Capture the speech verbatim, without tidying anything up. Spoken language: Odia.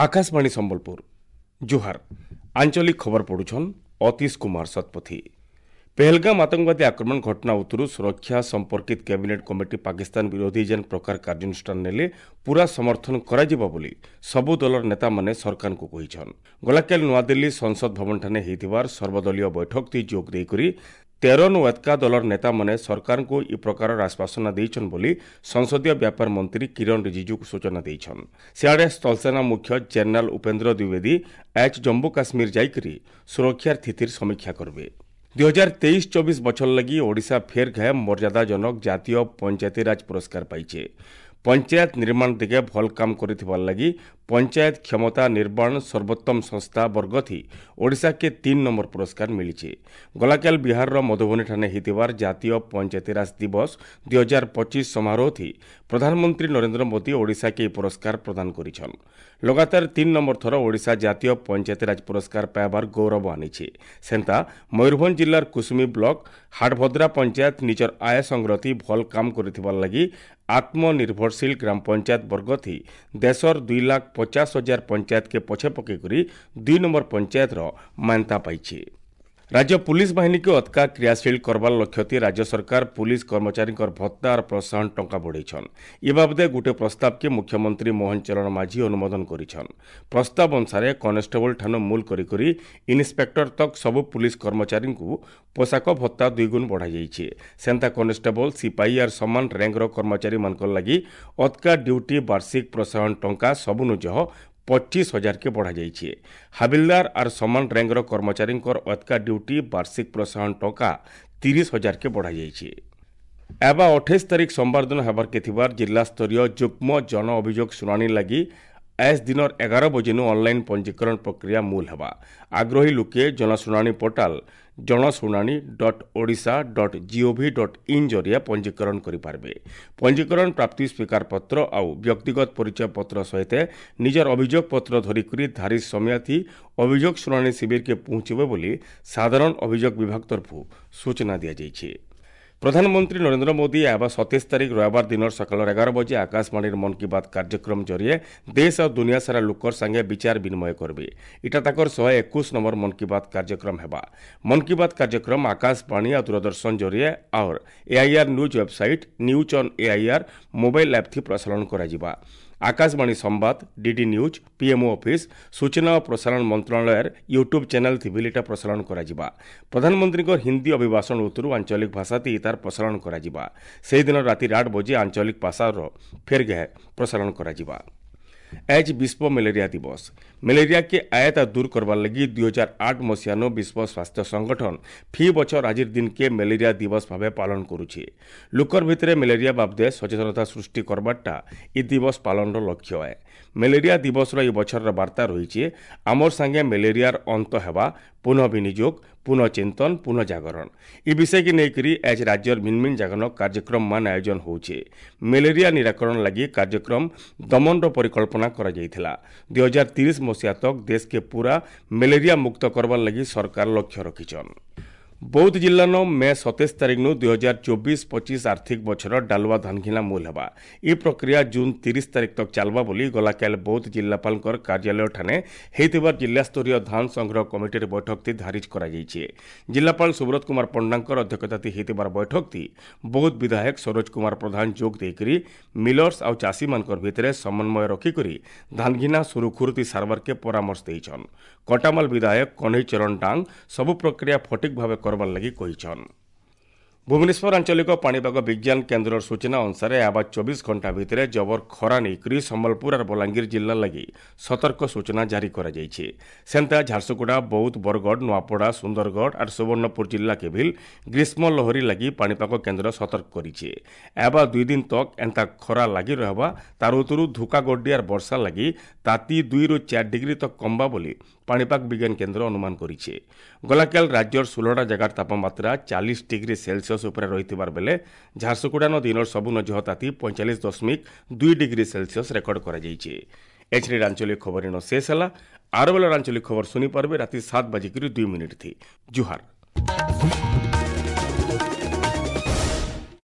ଆକାଶବାଣୀ ସମ୍ବଲପୁର ଜୁହାର ଆଞ୍ଚଳିକ ଖବର ପଢୁଛନ୍ ଅତୀଶ କୁମାର ଶତପଥୀ ପେହଲଗାମ ଆତଙ୍କବାଦୀ ଆକ୍ରମଣ ଘଟଣା ଉତ୍ତରୁ ସୁରକ୍ଷା ସମ୍ପର୍କିତ କ୍ୟାବିନେଟ୍ କମିଟି ପାକିସ୍ତାନ ବିରୋଧୀ ଯେନ୍ ପ୍ରକାର କାର୍ଯ୍ୟାନୁଷ୍ଠାନ ନେଲେ ପୂରା ସମର୍ଥନ କରାଯିବ ବୋଲି ସବୁ ଦଳର ନେତାମାନେ ସରକାରଙ୍କୁ କହିଛନ୍ ଗଲାକାଲି ନୂଆଦିଲ୍ଲୀ ସଂସଦ ଭବନଠାନେ ହେଇଥିବାର ସର୍ବଦଳୀୟ ବୈଠକଟି ଯୋଗ ଦେଇକରି ତେର ନୁ ଏତକା ଦଳର ନେତାମାନେ ସରକାରଙ୍କୁ ଇ ପ୍ରକାରର ଆଶ୍ୱାସନା ଦେଇଛନ୍ ବୋଲି ସଂସଦୀୟ ବ୍ୟାପାର ମନ୍ତ୍ରୀ କିରଣ ରିଜିଜୁ ସୂଚନା ଦେଇଛନ୍ ସିଆଡ଼େ ସ୍ଥଳସେନା ମୁଖ୍ୟ ଜେନେରାଲ ଉପେନ୍ଦ୍ର ଦ୍ୱିବେଦୀ ଆଜ୍ ଜମ୍ମୁ କାଶ୍ମୀର ଯାଇକରି ସୁରକ୍ଷାର ସ୍ଥିତିର ସମୀକ୍ଷା କରିବେ ଦୁଇ ହଜାର ତେଇଶ ଚବିଶ ବଛର ଲାଗି ଓଡ଼ିଶା ଫେର୍ ଘାଏ ମର୍ଯ୍ୟାଦାଜନକ ଜାତୀୟ ପଞ୍ଚାୟତିରାଜ ପୁରସ୍କାର ପାଇଛେ ପଞ୍ଚାୟତ ନିର୍ମାଣ ଦିଗେ ଭଲ କାମ କରିଥିବାର ଲାଗି ପଞ୍ଚାୟତ କ୍ଷମତା ନିର୍ମାଣ ସର୍ବୋତ୍ତମ ସଂସ୍ଥା ବର୍ଗଥି ଓଡ଼ିଶାକେ ତିନ୍ ନମ୍ବର ପୁରସ୍କାର ମିଳିছে ଗଲାକାଲି ବିହାରର ମଧୁବନୀଠାନେ ହେଇଥିବାର ଜାତୀୟ ପଞ୍ଚାୟତିରାଜ ଦିବସ ଦୁଇ ହଜାର ପଚିଶ ସମାରୋହଥି ପ୍ରଧାନମନ୍ତ୍ରୀ ନରେନ୍ଦ୍ର ମୋଦି ଓଡ଼ିଶାକେ ଏହି ପୁରସ୍କାର ପ୍ରଦାନ କରିଛନ୍ ଲଗାତାର ତିନ୍ ନମ୍ବର ଥର ଓଡ଼ିଶା ଜାତୀୟ ପଞ୍ଚାୟତିରାଜ ପୁରସ୍କାର ପାଇବାର ଗୌରବ ଆନିছে ସେନ୍ତା ମୟୂରଭଞ୍ଜ ଜିଲ୍ଲାର କୁସୁମୀ ବ୍ଲକ ହାଟଭଦ୍ରା ପଞ୍ଚାୟତ ନିଜର ଆୟ ସଂଗ୍ରହଥି ଭଲ କାମ କରିଥିବାର ଲାଗି ଆତ୍ମନିର୍ଭରଶୀଳ ଗ୍ରାମ ପଞ୍ଚାୟତ ବର୍ଗଥି ଦେଶର ଦୁଇ ଲାଖ ପଚାଶ ହଜାର ପଞ୍ଚାୟତକେ ପଛେ ପକେଇକରି ଦୁଇ ନମ୍ବର ପଞ୍ଚାୟତର ମାନ୍ୟତା ପାଇছে ରାଜ୍ୟ ପୁଲିସ ବାହିନୀକୁ ଅତକା କ୍ରିୟାଶୀଳ କରବାର ଲକ୍ଷ୍ୟଥି ରାଜ୍ୟ ସରକାର ପୁଲିସ କର୍ମଚାରୀଙ୍କର ଭତ୍ତା ଆର୍ ପ୍ରୋତ୍ସାହନ ଟଙ୍କା ବଢ଼େଇଛନ୍ ଏ ବାବଦେ ଗୁଟେ ପ୍ରସ୍ତାବକେ ମୁଖ୍ୟମନ୍ତ୍ରୀ ମୋହନ ଚରଣ ମାଝୀ ଅନୁମୋଦନ କରିଛନ୍ ପ୍ରସ୍ତାବ ଅନୁସାରେ କନେଷ୍ଟବଳ ଠାନୁ ମୂଲ କରି କରି ଇନ୍ସପେକ୍ଟର ତକ୍ ସବୁ ପୁଲିସ କର୍ମଚାରୀଙ୍କୁ ପୋଷାକ ଭତ୍ତା ଦୁଇଗୁଣ ବଢ଼ାଯାଇଛି ସେନ୍ତା କନେଷ୍ଟବଳ ସିପାହୀ ଆର୍ ସମାନ ର୍ୟାଙ୍କର କର୍ମଚାରୀମାନଙ୍କର ଲାଗି ଅତକା ଡ୍ୟୁଟି ବାର୍ଷିକ ପ୍ରୋତ୍ସାହନ ଟଙ୍କା ସବୁନୁ ଜହ ପଚିଶ ହଜାରକେ ବଢ଼ାଯାଇଛି ହାବିଲଦାର ଆର୍ ସମାନ ର୍ୟାଙ୍କର କର୍ମଚାରୀଙ୍କର ଅତକା ଡ୍ୟୁଟି ବାର୍ଷିକ ପ୍ରୋତ୍ସାହନ ଟଙ୍କା ତିରିଶ ହଜାରକେ ବଢ଼ାଯାଇଛି ଏବା ଅଠେଇଶ ତାରିଖ ସୋମବାର ଦିନ ହେବାର୍କେ ଥିବାର ଜିଲ୍ଲାସ୍ତରୀୟ ଯୁଗ୍ମ ଜନ ଅଭିଯୋଗ ଶୁଣାଣି ଲାଗି ଆଜ୍ ଦିନର ଏଗାର ବଜେନୁ ଅନଲାଇନ୍ ପଞ୍ଜୀକରଣ ପ୍ରକ୍ରିୟା ମୂଲ ହେବା ଆଗ୍ରହୀ ଲୋକେ ଜନଶୁଣାଣି ପୋର୍ଟାଲ ଜନଶୁଣାଣି dot Odisha dot GOV dot in ଜରିଆ ପଞ୍ଜୀକରଣ କରିପାରିବେ ପଞ୍ଜୀକରଣ ପ୍ରାପ୍ତି ସ୍ୱୀକାର ପତ୍ର ଆଉ ବ୍ୟକ୍ତିଗତ ପରିଚୟ ପତ୍ର ସହିତ ନିଜର ଅଭିଯୋଗ ପତ୍ର ଧରିକରି ଧାରି ସମୟାଥି ଅଭିଯୋଗ ଶୁଣାଣି ଶିବିରକେ ପହଞ୍ଚିବେ ବୋଲି ସାଧାରଣ ଅଭିଯୋଗ ବିଭାଗ ତରଫରୁ ସୂଚନା ଦିଆଯାଇଛି ପ୍ରଧାନମନ୍ତ୍ରୀ ନରେନ୍ଦ୍ର ମୋଦି ଆବା ସତେଇଶ ତାରିଖ ରବିବାର ଦିନର ସକାଳ ଏଗାର ବଜେ ଆକାଶବାଣୀର ମନ୍ କି ବାତ୍ କାର୍ଯ୍ୟକ୍ରମ ଜରିଏ ଦେଶ ଆଉ ଦୁନିଆ ସାରା ଲୋକର ସାଙ୍ଗେ ବିଚାର ବିନିମୟ କରିବେ ଇଟା ତାଙ୍କର ଶହେ ଏକୋଇଶ ନମ୍ବର ମନ୍ କି ବାତ୍ କାର୍ଯ୍ୟକ୍ରମ ହେବା ମନ୍ କି ବାତ୍ କାର୍ଯ୍ୟକ୍ରମ ଆକାଶବାଣୀ ଆଉ Doordarshan ଜରିଏ ଆଉର AIR news website news on AIR mobile app ଥି ପ୍ରସାରଣ କରାଯିବା ଆକାଶବାଣୀ ସମ୍ବାଦ ଡିଡି ନ୍ୟୁଜ୍ ପିଏମ୍ଓ ଅଫିସ୍ ସୂଚନା ଓ ପ୍ରସାରଣ ମନ୍ତ୍ରଣାଳୟର ୟୁଟ୍ୟୁବ୍ ଚ୍ୟାନେଲ୍ ଥିବିଲ ଇଟା ପ୍ରସାରଣ କରାଯିବା ପ୍ରଧାନମନ୍ତ୍ରୀଙ୍କ ହିନ୍ଦୀ ଅଭିଭାଷଣ ଉତ୍ତରୁ ଆଞ୍ଚଳିକ ଭାଷାତି ତାର ପ୍ରସାରଣ କରାଯିବା ସେହିଦିନ ରାତି ଆଠ ବଜେ ଆଞ୍ଚଳିକ ଭାଷାର ଫେର୍ ଘେ ପ୍ରସାରଣ କରାଯିବା ଆଜ୍ ବିଶ୍ୱ ମ୍ୟାଲେରିଆ ଦିବସ ମ୍ୟାଲେରିଆକେ ଆୟତ ଦୂର କରବାର ଲାଗି ଦୁଇ ହଜାର ଆଠ ମସିହାନୁ ବିଶ୍ୱ ସ୍ୱାସ୍ଥ୍ୟ ସଂଗଠନ ଫି ବଛର ଆଜିର ଦିନକେ ମ୍ୟାଲେରିଆ ଦିବସ ଭାବେ ପାଳନ କରୁଛେ ଲୋକର ଭିତରେ ମ୍ୟାଲେରିଆ ବାବଦେ ସଚେତନତା ସୃଷ୍ଟି କରବାରଟା ଇ ଦିବସ ପାଳନର ଲକ୍ଷ୍ୟ ଏ ମ୍ୟାଲେରିଆ ଦିବସର ଏ ବଛରର ବାର୍ତ୍ତା ରହିছে ଆମର ସାଙ୍ଗେ ମ୍ୟାଲେରିଆର ଅନ୍ତ ହେବା ପୁନଃ ବିନିଯୋଗ ପୁନଃ ଚିନ୍ତନ ପୁନଃ ଜାଗରଣ ଏ ବିଷୟକେ ନେଇକରି ଆଜ୍ ରାଜ୍ୟର ଭିନ୍ନ ଭିନ୍ନ ଜାଗାନ କାର୍ଯ୍ୟକ୍ରମ ମାନ ଆୟୋଜନ ହେଉଛି ମ୍ୟାଲେରିଆ ନିରାକରଣ ଲାଗି କାର୍ଯ୍ୟକ୍ରମ ଦମନର ପରିକଳ୍ପନା କରାଯାଇଥିଲା ଦୁଇ ହଜାର ତିରିଶ ମସିହା ତକ୍ ଦେଶକେ ପୁରା ମ୍ୟାଲେରିଆ ମୁକ୍ତ କରବାର ଲାଗି ସରକାର ଲକ୍ଷ୍ୟ ରଖିଛନ୍ ବୌଦ୍ଧ ଜିଲ୍ଲାନ ମେ ସତେଇଶ ତାରିଖନୁ ଦୁଇ ହଜାର ଚବିଶ ପଚିଶ ଆର୍ଥିକ ବଛର ଡାଲୁଆ ଧାନଘିନା ମୂଲ ହେବା ଏ ପ୍ରକ୍ରିୟା ଜୁନ୍ ତିରିଶ ତାରିଖ ତକ୍ ଚାଲବା ବୋଲି ଗଲାକାଲି ବୌଦ୍ଧ ଜିଲ୍ଲାପାଳଙ୍କର କାର୍ଯ୍ୟାଳୟଠାନେ ହେଇଥିବାର ଜିଲ୍ଲାସ୍ତରୀୟ ଧାନ ସଂଗ୍ରହ କମିଟିର ବୈଠକଟି ଧାରିଜ କରାଯାଇଛି ଜିଲ୍ଲାପାଳ ସୁବ୍ରତ କୁମାର ପଣ୍ଡାଙ୍କର ଅଧ୍ୟକ୍ଷତାତି ହେଇଥିବାର ବୈଠକଟି ବୌଦ୍ଧ ବିଧାୟକ ସରୋଜ କୁମାର ପ୍ରଧାନ ଯୋଗ ଦେଇକରି ମିଲର୍ସ ଆଉ ଚାଷୀମାନଙ୍କର ଭିତରେ ସମନ୍ୱୟ ରଖିକରି ଧାନଘିନା ସୁରୁଖୁରୁତି ସାରବାରକେ ପରାମର୍ଶ ଦେଇଛନ୍ କଣ୍ଟାମାଲ ବିଧାୟକ କହ୍ନେଇ ଚରଣ ଡାଙ୍ଗ ସବୁ ପ୍ରକ୍ରିୟା ଫଟିକ୍ ଭାବେ କରବାର ଲାଗି କହିଛନ୍ ଭୁବନେଶ୍ୱର ଆଞ୍ଚଳିକ ପାଣିପାଗ ବିଜ୍ଞାନ କେନ୍ଦ୍ରର ସୂଚନା ଅନୁସାରେ ଆବା ଚବିଶ ଘଣ୍ଟା ଭିତରେ ଜବର ଖରା ନେଇକରି ସମ୍ବଲପୁର ଆର୍ ବଲାଙ୍ଗୀର ଜିଲ୍ଲା ଲାଗି ସତର୍କ ସୂଚନା ଜାରି କରାଯାଇଛି ସେନ୍ତା ଝାରସୁଗୁଡ଼ା ବୌଦ୍ଧ ବରଗଡ଼ ନୂଆପଡ଼ା ସୁନ୍ଦରଗଡ଼ ଆର୍ ସୁବର୍ଣ୍ଣପୁର ଜିଲ୍ଲାକେ ଭିଲ୍ ଗ୍ରୀଷ୍ମ ଲହରୀ ଲାଗି ପାଣିପାଗ କେନ୍ଦ୍ର ସତର୍କ କରିছে ଆବା ଦୁଇ ଦିନ ତକ୍ ଏନ୍ତା ଖରା ଲାଗି ରହିବା ତାର ଉତ୍ତରୁ ଧୁକା ଗଡ୍ଡି ଆର୍ ବର୍ଷା ଲାଗି ତାତି ଦୁଇରୁ ଚାରି ଡିଗ୍ରୀ ତକ୍ କମ୍ବା ବୋଲି ପାଣିପାଗ ବିଜ୍ଞାନ କେନ୍ଦ୍ର ଅନୁମାନ କରିছে ଗଲାକାଲି ରାଜ୍ୟର ଷୋହଳଟା ଜାଗାର ତାପମାତ୍ରା ଚାଳିଶ ଡିଗ୍ରୀ ସେଲସିୟସ୍ ଉପରେ ରହିଥିବାର ବେଲେ ଝାରସୁଗୁଡ଼ାନ ଦିନର ସବୁ ନଜହ ତାତି ପଇଁଚାଳିଶ ଦଶମିକ ଦୁଇ ଡିଗ୍ରୀ ସେଲସିୟସ୍ ରେକର୍ଡ କରାଯାଇଛି ଏଥିରେ ଆଞ୍ଚଳିକ ଖବର ଇନ ଶେଷ ହେଲା ଆର ବେଳର ଆଞ୍ଚଳିକ ଖବର ଶୁଣିପାରିବେ ରାତି ସାତ ବାଜିକରି ଦୁଇ ମିନିଟ୍ ଥି ଜୁହାର।